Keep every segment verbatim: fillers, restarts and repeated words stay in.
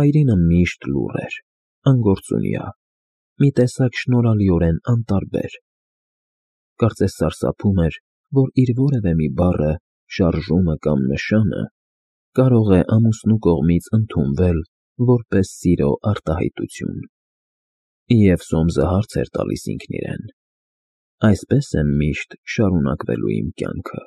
Այրինը միշտ լուռ էր, անգործունյա, մի տեսակ շնորհալիորեն անտարբեր. կարծես սարսափում էր, որ իր որևէ մի բառը, շարժումը կամ նշանը կարող է ամուսնու կողմից ընդունվել որպես սիրո արտահայտություն։ Եվ Սոմսը հարց էր տալիս ինքն իրեն. այսպե՞ս է միշտ շարունակվելու իմ կյանքը։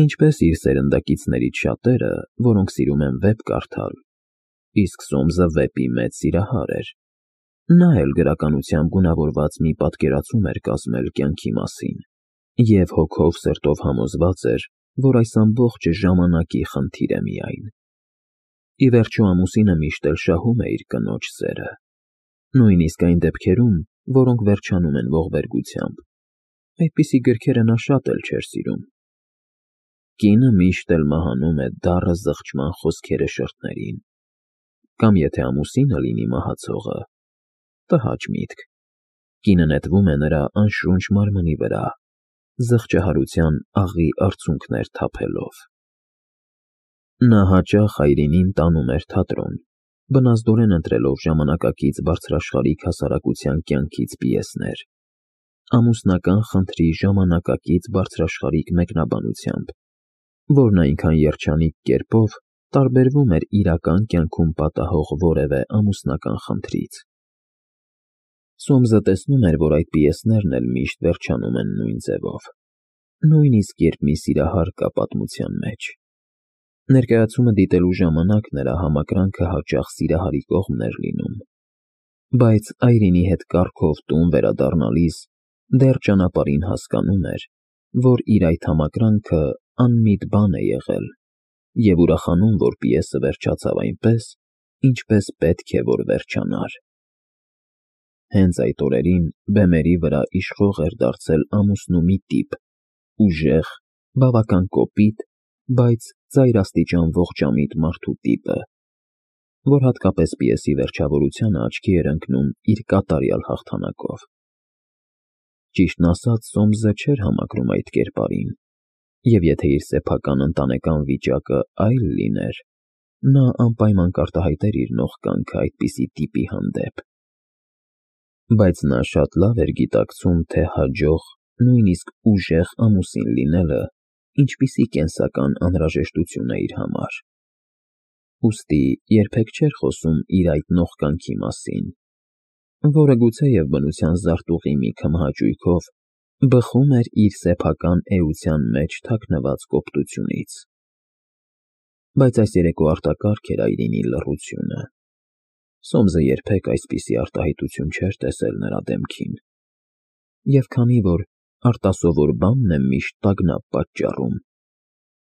Ինչպես իր սերնդակիցներից շատերը, որոնք սիրում են վեպ կարդալ, իսկ Սոմսը վեպի մեծ սիրահար էր, նա էլ գրականությամբ գունավորված մի պատկերացում էր կազմել կյանքի մասին և հոգով սրտով համոզված էր, որ այս ամբողջը ժամանակի խնդիր է միայն։ Ի վերջո ամուսինը միշտ էլ շահում է իր կնոջ սերը, նույնիսկ այն դեպքերում, որոնք վերջանում են ողբերգությամբ, այդպիսի գրքերը նա շատ էլ չէր սիրում։ Կինը միշտ էլ մահանում է դառը զղջման խոսքերը շրթներին, կամ եթե ամուսինը լինի մահացողը, տհաճ միտք, կինը նետվում է նրա անշունչ մարմնի վրա, զղջահարության աղի արցունքներ թափելով։ Նա հաճախ Այրինին տանում էր թատրոն, բնազդորեն ընտրելով ժամանակակից բարձրաշխարհիկ հասարակության կյանքից պիեսներ, ամուսնական խնդրի ժամանակակից բարձրաշխարհիկ մեկնաբանությամբ, որն այնքան երջանիկ կերպով տարբերվում էր իրական կյանքում պատահող որևէ ամուսնական խնդրից։ Սոմսը տեսնում էր, որ այդ պիեսներն էլ միշտ վերջանում են նույն ձևով, նույնիսկ երբ մի սիրահար կա պատմության մեջ։ Ներկայացումը դիտելու ժամանակ նրա համակրանքը հաճախ սիրահարի կողմն էր լինում, բայց Այրինի հետ կառքով տուն վերադառնալիս դեռ ճանապարհին հասկանում էր, որ իր այդ համակրանքը անմիտ բան է եղել և ուրախանում, որ պիեսը վերջացավ այնպես, ինչպես պետք է, որ վերջանար։ Հենց այդ օրերին բեմերի վրա իշխող էր դարձել ամուսնու մի տիպ, ուժեղ, բավական կոպիտ, բայց ծայրաստիճան ողջամիտ մարդու տիպը, որ հատկապես պիեսի վերջավորությանը աչքի էր ընկնում իր կատարյալ հաղթանակով։ Ճիշտն ասած, Սոմսը չէր համակրում այդ կերպարին, և եթե իր սեփական ընտանեկան վիճակը այլ լիներ, նա անպայման կարտահայտեր իր նող կամքը այդպիսի տիպի հանդեպ։ Բայց նա շատ լավ էր գիտակցում, թե հաջող, նույնիսկ ուժեղ ամուսին լինելը ինչպիսի կենսական անհրաժեշտություն է իր համար։ Ուստի երբեք չէր խոսում իր այդ նող կամքի մասին, որը գուցեև բնության զարտուղի մի քմահաճույքով բխում էր իր սեփական էության մեջ թաքնված կոպտությունից։ Բայց այս երեկո արտակարգ էր Այրինի լռությունը։ Սոմսը երբեք այսպիսի արտահայտություն չէր տեսել նրա դեմքին, և քանի որ արտասովոր բանն է միշտ տագնապ պատճառում,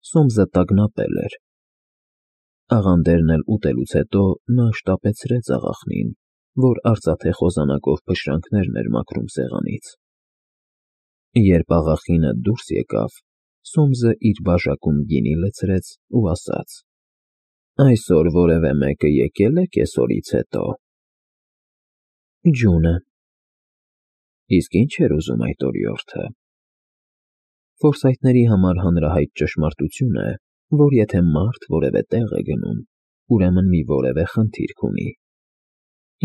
Սոմսը տագնապել էր։ Աղանդերն էլ ուտելուց հետո նա շտապեցրեց աղախնին, որ արծաթե խոզանակով փշրանքներն էր մաքրում սեղանից։ Երբ աղախինը դուրս եկավ, Սոմսը իր բաժակում գինի լցրեց ու ասաց. «Այսօր որևէ մեկը եկե՞լ է կեսօրից հետո»։ Ջունը։ Իսկ ի՞նչ էր ուզում այդ օրիորդը։ Ֆորսայթների համար հանրահայտ ճշմարտություն է, որ եթե մարդ որևէ տեղ է գնում, ուրեմն մի որևէ խնդիրք ունի։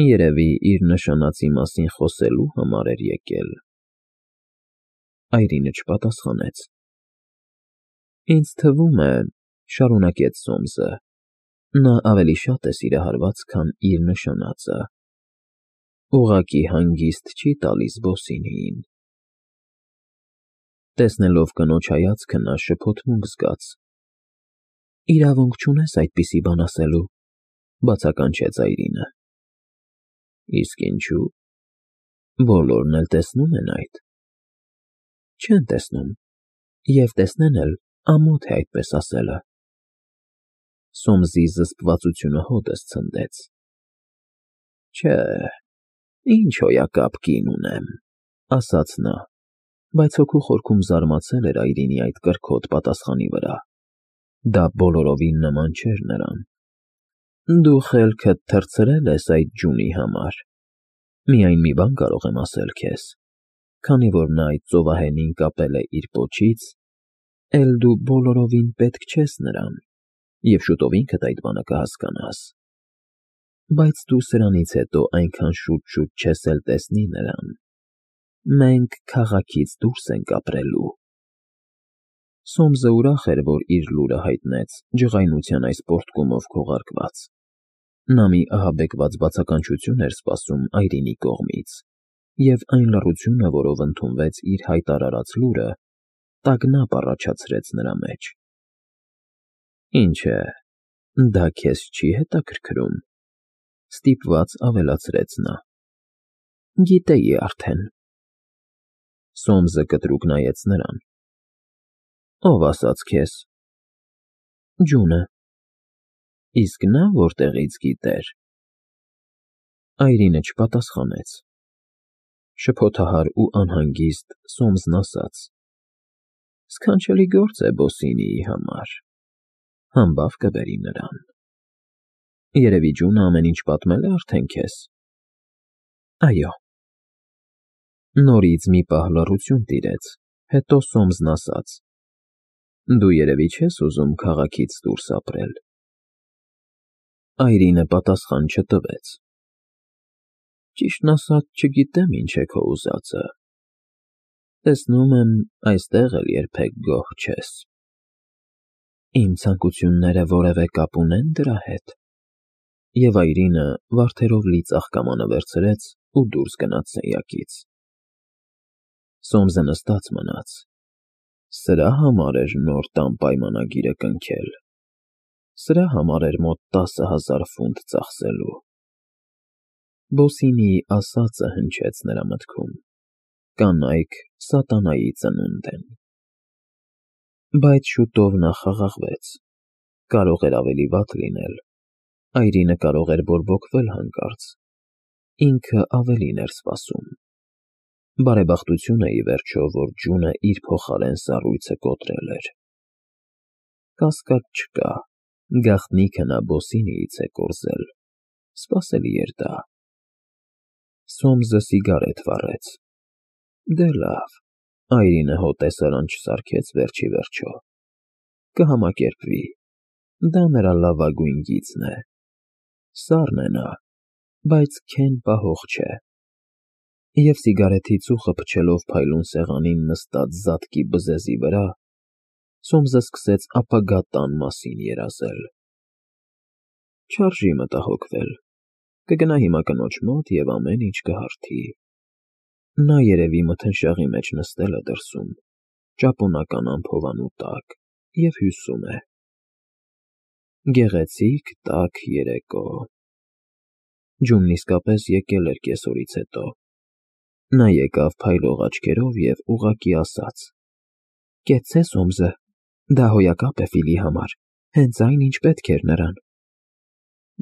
Երևի իր նշանածի մասին խոսելու համար էր եկել։ Այրինը չպատասխանեց։ «Ինձ թվում է,֊ շարունակեց Սոմսը,֊ նա ավելի շատ է սիրահարված, քան իր նշանածը։ Ուղղակի հանգիստ չի տալիս Բոսինիին»։ Տեսնելով կնոջ հայացքը, նա շփոթմունք զգաց։ «Իրավունք չունես այդպիսի բան ասելու,֊ բացականչեց Այրինը։ Իսկ ինչու՞։ Բոլորն էլ տեսնում են այդ։ Չեն տեսնում, և տեսնեն էլ ամոթ է այդպես ասելը։ Սոմսի զսպվածությունը հօդս ցնդեց։ Չէ, ինչ հոյակապ կին ունեմ,֊ ասաց նա, բայց հոգու խորքում զարմացել էր Այրինի այդ կրքոտ պատասխանի վրա։ Դա բոլորովին նման չէր նրան։ Դու խելքդ թռցրել ես այդ ջունի համար։ Միայն մի բան կարող եմ ասել քեզ. քանի որ նա այդ ծովահենին կապել է իր պոչից, էլ դու բոլորովին պետք չես նրան, և շուտով ինքդ այդ բանը կհասկանաս։ բայց դու սրանից հետո այնքան շուտ-շուտ չես էլ տեսնի նրան։ Մենք քաղաքից դուրս ենք ապրելու։ Սոմսը ուրախ էր, որ իր լուրը հայտնեց ջղայնության այս պոռթկումով քողարկված։ Նա մի ահաբեկված բացականչություն էր սպասում Այրինի կողմից, և այն լռությունը, որով ընդունվեց իր հայտարարած լուրը, տագնապ առաջացրեց նրա մեջ։ Ինչ է, դա քեզ չի հետաքրքրում,֊ ստիպված ավելացրեց նա։ Գիտեի արդեն։ Սոմսը կտրուկ նայեց նրան։ Ո՞վ ասաց քեզ։ Ջունը։ Իսկ նա որտեղից գիտեր։ Այրինը չպատասխանեց։ Շփոթահար ու անհանգիստ Սոմսն ասաց. Սքանչելի գործ է Բոսինիի համար, համբավ կբերի նրան։ Երևի ջունը ամեն ինչ պատմել է արդեն քեզ։ Այո։ Նորից մի պահ լռություն տիրեց, հետո Սոմսն ասաց. Դու երևի չես ուզում քաղաքից դուրս ապրել։ Այրինը պատասխան չտվեց։ Ճիշտն ասած, չգիտեմ ինչ է քո ուզածը։ Տեսնում եմ, այստեղ էլ երբեք գոհ չես։ Իմ ցանկությունները որևէ կապ ունեն դրա հետ։ Եվ Այրինը վարդերով լի ծաղկամանը վերցրեց ու դուրս գնաց սենյակից։ Սոմսը նստած մնաց։ Սրա համար էր նոր տան պայմանագիրը կնքել։ Սրա համար էր մոտ տասը հազար ֆունտ ծախսելու։ Բոսինիի ասածը հնչեց նրա մտքում. կանայք սատանայի ծնունդ են։ Բայց շուտով նա խաղաղվեց։ Կարող էր ավելի վատ լինել։ Այրինը կարող էր բորբոքվել հանկարծ։ Ինքը ավելին էր սպասում։ Բարեբախտություն է, ի վերջո, որ ջունը իր փոխարեն սառույցը կոտրել էր։ Կասկած չկա, գաղտնիքը նա Բոսինիից է կորզել։ Սպասելի էր դա։ Սոմսը սիգարետ վառեց։ Դե լավ, Այրինը հոտեսարան չսարքեց վերջի վերջո։ Կհամակերպվի։ Դա նրա լավագույն գիծն է։ Սառն է նա, բայց քեն պահող չէ։ Եվ սիգարետի ծուխը փչելով փայլուն սեղանին նստած զատկի բզեզի վրա, Սոմսը սկսեց ապագա տան մասին երազել։ Չարժի մտահոգվել։ Կգնա հիմա կնոջ մոտ և ամեն ինչ կհարթի։ Նա երևի մթնշաղի մեջ նստել է դրսում, ճապոնական ամփովանու տակ, և հյուսում է։ Գեղեցիկ տաք երեկո։ Ջունն իսկապես եկել էր կեսօրից հետո։ Նա եկավ փայլող աչքերով և ուղղակի ասաց. Կեցցե Սոմսը, դա հոյակապ է Ֆիլի համար, հենց այն, ինչ պետք էր նրան։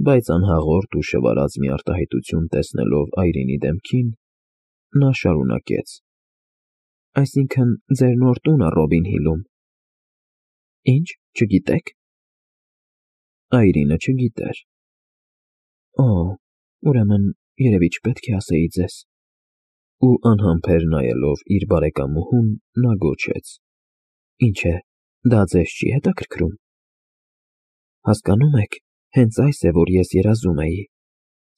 Բայց անհաղորդ ու շվարած մի արտահայտություն տեսնելով Այրինի դեմքին, նա շարունակեց. Այսինքն, ձեր նոր տունը Ռոբին Հիլում։ Ինչ, չգիտեք։ Այրինը չգիտեր։ Օ, ուրեմն, երևի չպետք է ասեի ձեզ։ Ու անհամբեր նայելով իր բարեկամուհուն, նա գոչեց. Ինչ է, դա ձեզ չի հետաքրքրում։ Հասկանո՞ւմ եք, հենց այս է, որ ես երազում էի։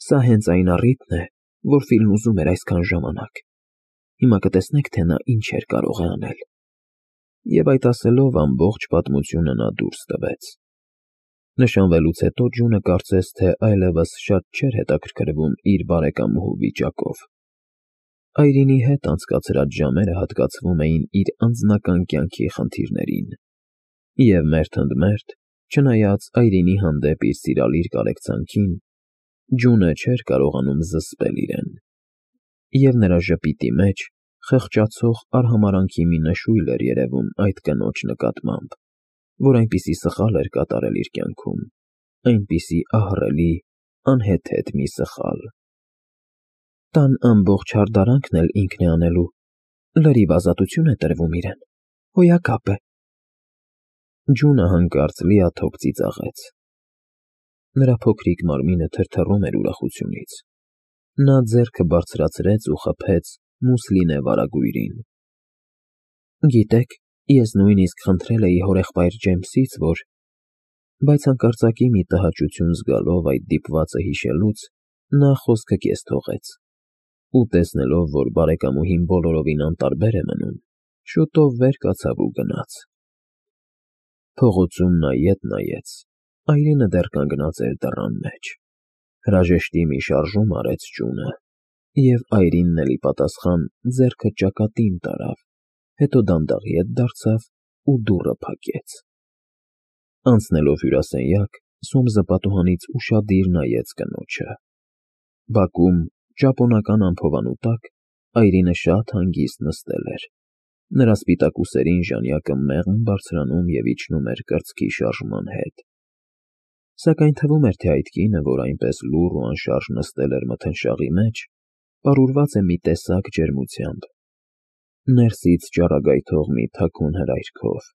Սա հենց այն առիթն է, որ Ֆիլն ուզում էր այսքան ժամանակ։ Հիմա կտեսնեք, թե նա ինչ էր կարող է անել։ Եվ այդ ասելով ամբողջ պատմությունը նա դուրս տվեց։ Նշանվելուց հետո ջունը կարծես թե այլևս շատ չէր հետաքրքրվում իր բարեկամուհու վիճակով։ Այրինի հետ անցկացրած ժամերը հատկացվում էին իր անձնական կյանքի խնդիրներին։ Եվ մերթ ընդ մերթ, չնայած Այրինի հանդեպ իր սիրալիր կարեկցանքին, ջունը չէր կարողանում զսպել իրեն։ Եվ նրա ժպիտի մեջ խղճացող արհամարհանքի մի նշույլ էր երևում այդ կնոջ նկատմամբ, որ այնպիսի սխալ էր կատարել իր կյանքում, այնպիսի ահռելի, անհեթեթ մի սխալ։ Տան ամբողջ հարդարանքն էլ ինքն է անելու, լրիվ ազատություն է տրվում իրեն, հոյակապ է։ Ջունը հանկարծ լիաթոք ծիծաղեց։ Նրա փոքրիկ մարմինը թրթռում էր ուրախությունից։ Նա ձեռքը բարձրացրեց ու խփեց մուսլինե վարագույրին։ Գիտեք, ես նույնիսկ խնդրել էի հորեղբայր Ջեյմսից, որ… Բայց հանկարծակի մի տհաճություն զգալով այդ դիպվածը հիշելուց, նա խոսքը կես թողեց ու, տեսնելով, որ բարեկամուհին բոլորովին անտարբեր է մնում, շուտով վեր կացավ ու գնաց։ Փողոցում նա ետ նայեց, այրենը դեռ կանգնած էր դռան մեջ, հրաժեշտի մի շարժում արեց ճյունը և այրինն էլ ի պատասխան ձեռքը ճակատին տարավ, հետո դանդաղ ետ դարձավ ու դուռը փակեց։ Անցնելով հյուրասենյակ, Սոմսը պատուհանից ուշադիր նայեց կնոջը։ Բակում, ճապոնական ամփոփանու տակ, այրինը շատ հանգիստ նստել էր, նրա սպիտակ ուսերին ժանյակը մեղմ բարձրանում և իջնում էր կրծքի շարժման հետ։ Սակայն թվում էր, թե այդ կինը, որ այնպես լուռ ու անշարժ նստել էր մթնշաղի մեջ, պարուրված է մի տեսակ ջերմությամբ, ներսից ճառագայթող մի թաքուն հրայրքով,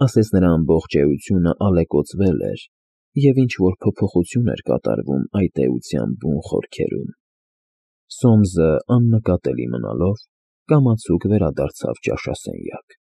ասես նրա ամբողջ էությունը ալեկոծվել էր և ինչ֊որ փոփոխություն էր կատարվում այդ էության բուն խորքերում։ Սոմսը աննկատելի մնալով, կամացուկ վերադարձավ ճաշասենյակ։